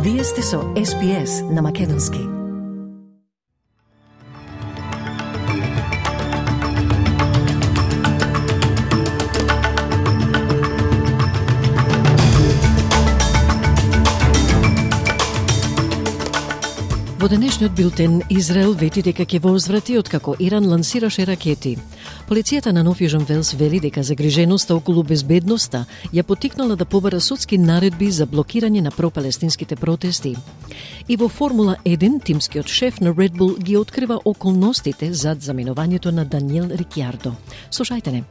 Вие сте со SPS на Македонски. Во денешниот билтен, Израел вети дека ќе возврати откако Иран лансираше ракети. Полицијата на Нов Јужен Велс вели дека загриженоста околу безбедноста ја поттикнала да побара судски наредби за блокирање на пропалестинските протести. И во Формула 1, тимскиот шеф на Red Bull ги открива околностите зад заминувањето на Даниел Рикјардо. Слушајте не.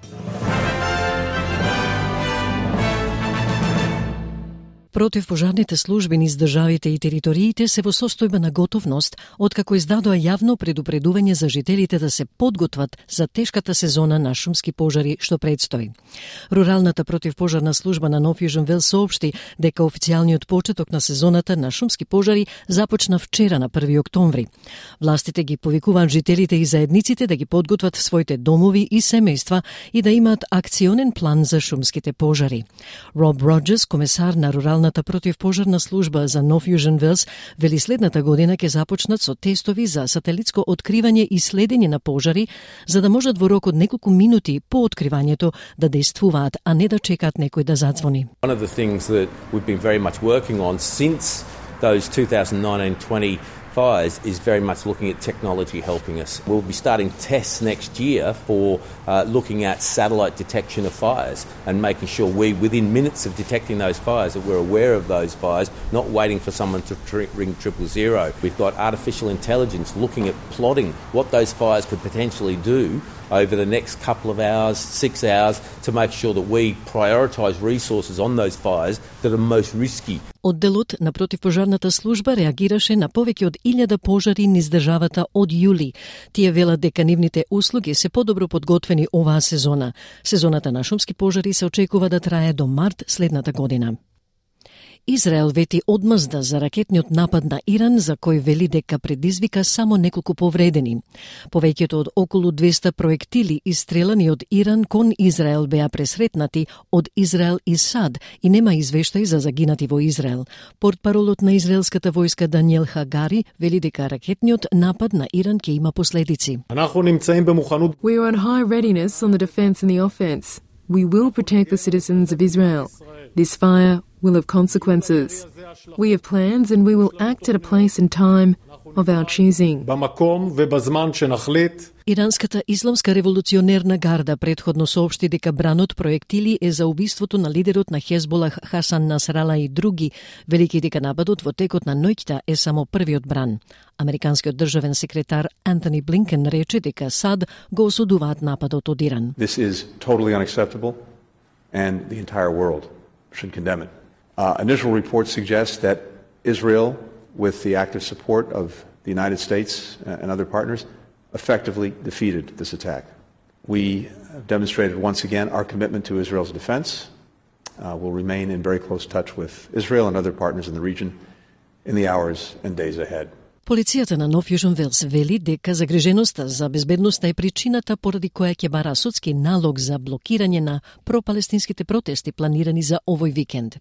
Противпожарните служби низ државите и териториите се во состојба на готовност, откако издадоа јавно предупредување за жителите да се подготват за тешката сезона на шумски пожари што предстои. Руралната противпожарна служба на Нов Јужен Велс соопшти дека официјалниот почеток на сезоната на шумски пожари започна вчера на 1 октомври. Властите ги повикуваат жителите и заедниците да ги подготват своите домови и семејства и да имаат акционен план за шумските пожари. Роб Роджерс, комесар на руралната противпожарна служба за Нов Јужен Велс, вели следната година ќе започнат со тестови за сателитско откривање и следење на пожари, за да можат во рок од неколку минути по откривањето да действуваат, а не да чекаат некој да задзвони. One of the things that we've been very much working on since those 2019-20 fires is very much looking at technology helping us. We'll be starting tests next year for looking at satellite detection of fires and making sure within minutes of detecting those fires, that we're aware of those fires, not waiting for someone to ring 000. We've got artificial intelligence looking at plotting what those fires could potentially do over the next couple of hours, 6 hours, to make sure that we prioritise resources on those fires that are most risky. Одделот на противпожарната служба реагираше на повеќе од 1000 пожари низ државата од јули. Тие велат дека нивните услуги се подобро подготвени оваа сезона. Сезоната на шумски пожари се очекува да трае до март следната година. Израел вети одмазда за ракетниот напад на Иран, за кој вели дека предизвика само неколку повредени. Повеќето од околу 200 проектили истрелани од Иран кон Израел беа пресретнати од Израел и САД и нема извештај за загинати во Израел. Портпаролот на израелската војска Даниел Хагари вели дека ракетниот напад на Иран ќе има последици. We are on high readiness on the defense and the offense. We will protect the citizens of Israel. This fire will have consequences. We have plans and we will act at a place and time of our choosing. Иранската исламска револуционерна гарда предходно соопшти дека бранот проектили е за убиството на лидерот на Хезболах Хасан Насрала и други, велики дека нападот во текот на ноќта е само првиот бран. Американскиот државен секретар Антони Блинкен рече дека САД го осудуваат нападот од Иран. This is totally unacceptable and the entire world should condemn it. Initial reports suggest that Israel, with the active support of the United States and other partners, effectively defeated this attack. We have demonstrated once again our commitment to Israel's defense. We'll remain in very close touch with Israel and other partners in the region in the hours and days ahead. Полицијата на Нов Јужен Велс вели дека загриженоста за безбедноста е причината поради која ќе бара судски налог за блокирање на пропалестинските протести планирани за овој викенд.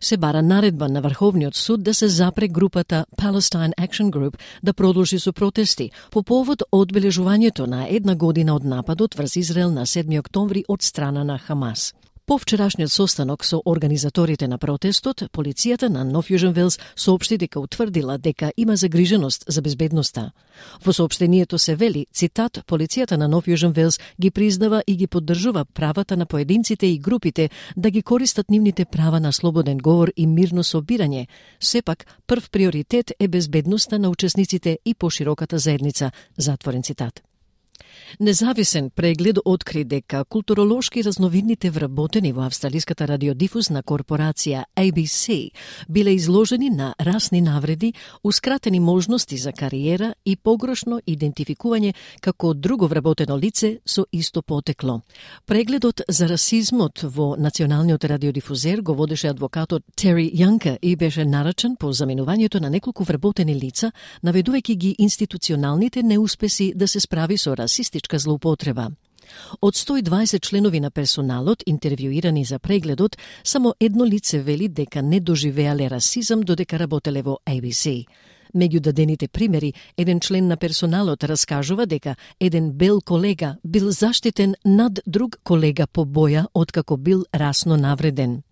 Се бара наредба на Врховниот суд да се запре групата Palestine Action Group да продолжи со протести по повод одбележувањето на 1 година од нападот врз Израел на 7 октомври од страна на Хамас. По вчерашниот состанок со организаторите на протестот, полицијата на Нов Јужен Велс соопшти дека утврдила дека има загриженост за безбедноста. Во соопштението се вели, цитат, полицијата на Нов Јужен Велс ги признава и ги поддржува правата на поединците и групите да ги користат нивните права на слободен говор и мирно собирање. Сепак, прв приоритет е безбедноста на учесниците и пошироката заедница, затворен цитат. Независен преглед откри дека културолошки разновидните вработени во австралиската радиодифузна корпорација ABC биле изложени на расни навреди,ускратени можности за кариера и погрешно идентификување како друго вработено лице со исто потекло. Прегледот за расизмот во националниот радиодифузер го водеше адвокатот Тери Јанка и беше нарачен по заминувањето на неколку вработени лица, наведувајќи ги институционалните неуспеси да се справи со расистичка злоупотреба. Од 120 членови на персоналот, интервјуирани за прегледот, само едно лице вели дека не доживеале расизам додека работеле во ABC. Меѓу дадените примери, еден член на персоналот раскажува дека еден бел колега бил заштитен над друг колега по боја откако бил расно навреден.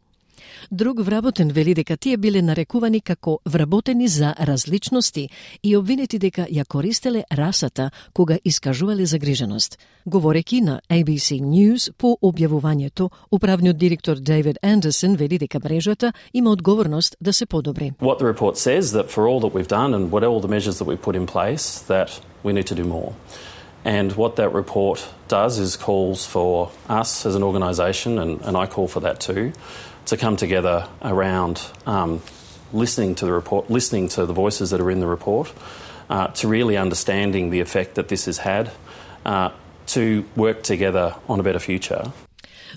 Друг вработен вели дека тие биле нарекувани како вработени за различности и обвинети дека ја користеле расата кога искажувале загриженост. Говореки на ABC News по објавувањето, управниот директор David Anderson вели дека мрежата има одговорност да се подобри. What the report says that for all that we've done and what all the measures that we've put in place that we need to do more. And what that report does is calls for us as an organisation, and I call for that too, to come together around listening to the report, listening to the voices that are in the report, to really understanding the effect that this has had, to work together on a better future.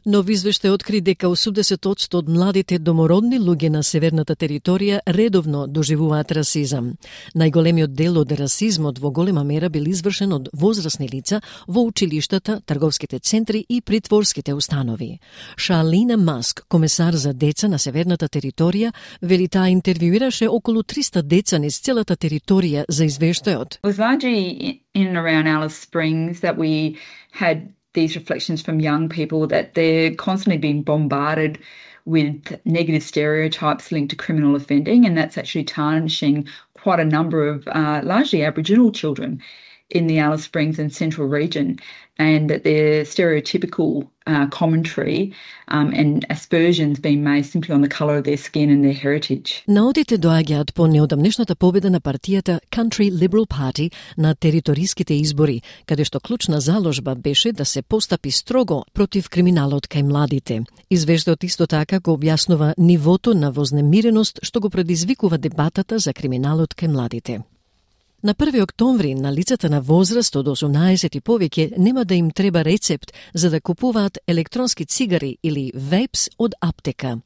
Нов извештај откри дека 80% од младите домородни луѓе на северната територија редовно доживуваат расизам. Најголемиот дел од расизмот во голема мера бил извршен од возрастни лица во училиштата, трговските центри и притворските установи. Шалина Маск, комесар за деца на северната територија, вели таа интервјуираше околу 300 деца низ целата територија за извештајот. It was largely in and around Alice Springs that we had these reflections from young people that they're constantly being bombarded with negative stereotypes linked to criminal offending, and that's actually tarnishing quite a number of largely Aboriginal children in the Alice Springs and Central region, and that their stereotypical commentary and aspersions being made simply on the colour of their skin and their heritage. Наодите доаѓаат по неодамнешната победа на партијата Country Liberal Party на териториските избори, каде што клучна заложба беше да се постапи строго против криминалот кај младите. Извештајот исто така го објаснува нивото на вознемиреност што го предизвикува дебатата за криминалот кај младите. На 1 октомври на лицата на возраст од 18 и повеќе нема да им треба рецепт за да купуваат електронски цигари или вейпс од аптека.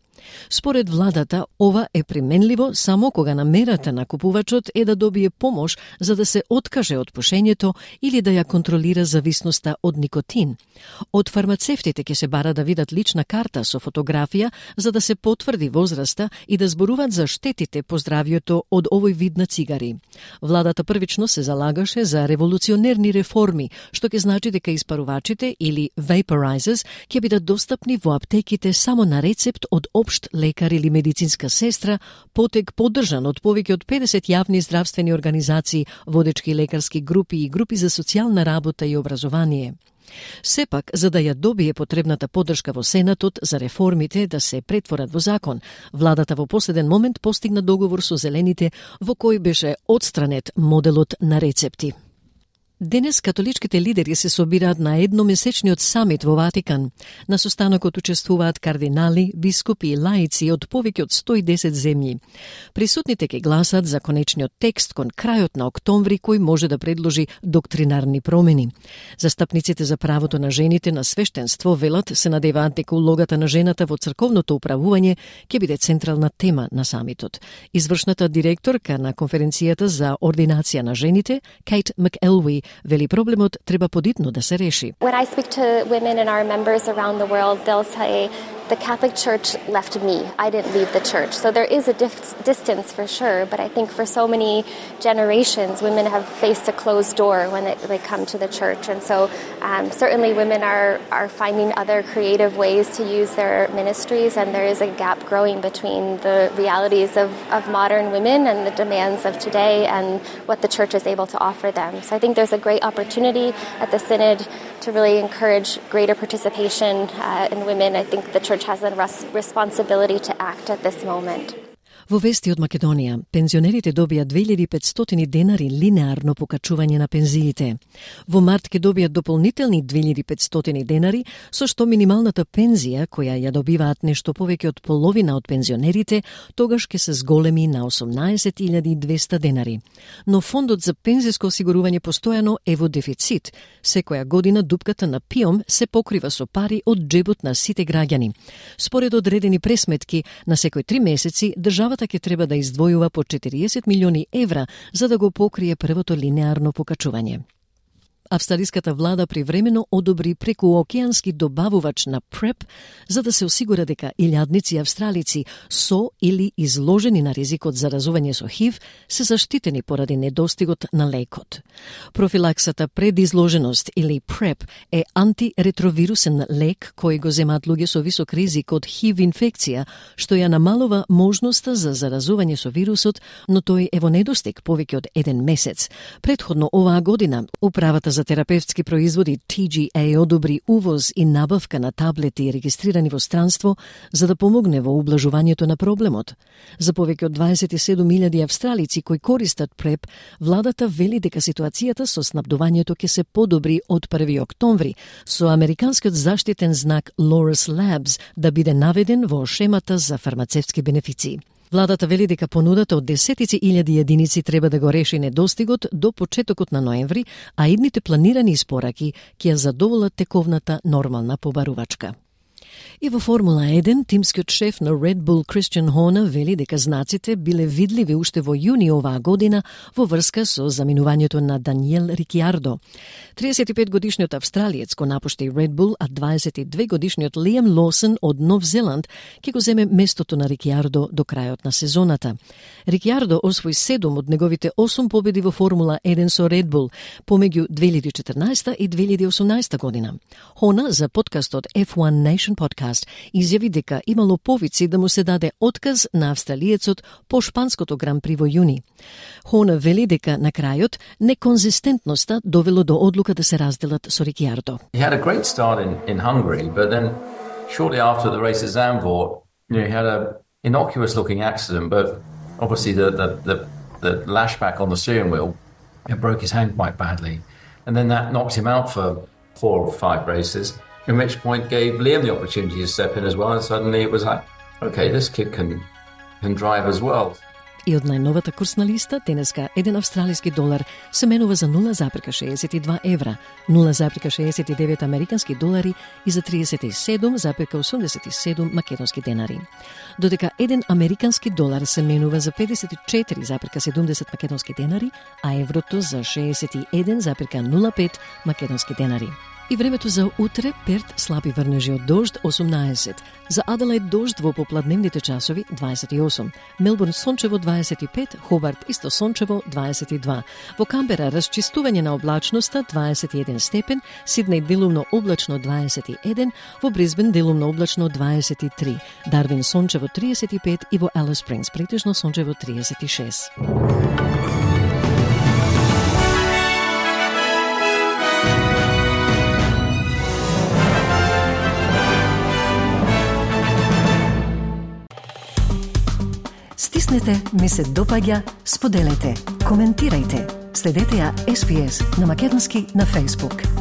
Според владата, ова е применливо само кога намерата на купувачот е да добие помош за да се откаже од пушењето или да ја контролира зависноста од никотин. Од фармацевтите ќе се бара да видат лична карта со фотографија за да се потврди возраста и да зборуваат за штетите по здравјето од овој вид на цигари. Владата првично се залагаше за револуционерни реформи, што ќе значи дека испарувачите или vaporizers ќе бидат достапни во аптеките само на рецепт од општ лекар или медицинска сестра, потек поддржан од повеќе од 50 јавни здравствени организации, водечки лекарски групи и групи за социјална работа и образование. Сепак, за да ја добие потребната поддршка во Сенатот за реформите да се претворат во закон, владата во последен момент постигна договор со зелените во кој беше отстранет моделот на рецепти. Денес католичките лидери се собираат на едномесечниот самит во Ватикан. На состанокот учествуваат кардинали, бискупи и лаици од повеќе од 110 земји. Присутните ќе гласат за конечниот текст кон крајот на октомври кој може да предложи доктринарни промени. Застапниците за правото на жените на свештенство велат се надеваат дека улогата на жената во црковното управување ќе биде централна тема на самитот. Извршната директорка на конференцијата за ординација на жените, Кейт Макелви, вели проблемот треба подитно да се реши. When I speak to women and our members around the world, they'll say the Catholic Church left me. I didn't leave the church. So there is a distance for sure, but I think for so many generations, women have faced a closed door when they come to the church. And so certainly women are finding other creative ways to use their ministries, and there is a gap growing between the realities of modern women and the demands of today and what the church is able to offer them. So I think there's a great opportunity at the Synod to really encourage greater participation in women. I think the church has a responsibility to act at this moment. Во вести од Македонија, пензионерите добија 2500 денари линеарно покачување на пензиите. Во март ќе добијат дополнителни 2500 денари, со што минималната пензија, која ја добиваат нешто повеќе од половина од пензионерите, тогаш ќе се зголеми на 18.200 денари. Но фондот за пензиско осигурување постојано е во дефицит. Секоја година дупката на ПИОМ се покрива со пари од џебот на сите граѓани. Според одредени пресметки, на секој 3 месеци државата ќе треба да издвојува по 40 милиони евра за да го покрие првото линеарно покачување. австралиската влада привремено одобри прекуокеански добавувач на PrEP за да се осигура дека илјадници австралици со или изложени на ризикот за заразување со ХИВ се заштитени поради недостигот на лекот. Профилаксата пред изложеност или PrEP е антиретровирусен лек кој го земаат луѓе со висок ризик од ХИВ инфекција, што ја намалува можноста за заразување со вирусот, но тој е во недостиг повеќе од 1 месец. Предходно оваа година, Управата за терапевтски производи TGA одобри увоз и набавка на таблети регистрирани во странство за да помогне во ублажувањето на проблемот. За повеќе од 27.000 австралици кои користат PrEP, владата вели дека ситуацијата со снабдувањето ќе се подобри од 1 октомври, со американскиот заштитен знак Loras Labs да биде наведен во шемата за фармацевтски бенефиции. Владата вели дека понудата од десетици илјади единици треба да го реши недостигот до почетокот на ноември, а идните планирани испораки ќе ја задоволат тековната нормална побарувачка. И во Формула 1, тимскиот шеф на Red Bull Christian Horner вели дека знаците биле видливи уште во јуни оваа година во врска со заминувањето на Даниел Рикјардо. 35-годишниот австралиец го напушти Red Bull, а 22-годишниот Лиам Лоусон од Нов Зеланд ќе го земе местото на Рикјардо до крајот на сезоната. Рикјардо освои 7 од неговите 8 победи во Формула 1 со Red Bull помеѓу 2014 и 2018 година. Horner за подкастот F1 Nation Podcast изјави дека имало повици да му се даде отказ на австралиецот по шпанското гран-при во јуни. Horner вели дека на крајот неконзистентноста довело до одлука да се разделат со Рикјардо. He had a great start in Hungary, but then shortly after the race at Zandvoort, he had a innocuous looking accident, but obviously the lashback on the steering wheel, it broke his hand quite badly. And then that knocked him out for 4 or 5 races. At which point gave Liam the opportunity to step in as well, and suddenly it was like, okay, this kid can drive as well. И од најновата курсна листа, денеска 1 австралиски долар се менува за 0,62 евра, 0,69 американски долари и за 37,87 македонски денари. Додека 1 американски долар се менува за 54,70 македонски денари, а еврото за 61,05 македонски денари. И времето за утре: Перт слаби врнежи од дожд 18, за Аделаид дожд во попладневните часови 28, Мелбурн сончево 25, Хобарт исто сончево 22, во Камбера расчистување на облачноста 21 степен, Сиднеј делумно облачно 21, во Брисбен делумно облачно 23, Дарвин сончево 35 и во Алис Спрингс претежно сончево 36. Стиснете, ми се допаѓа, споделете, коментирајте. Следете ја SPS на македонски на Facebook.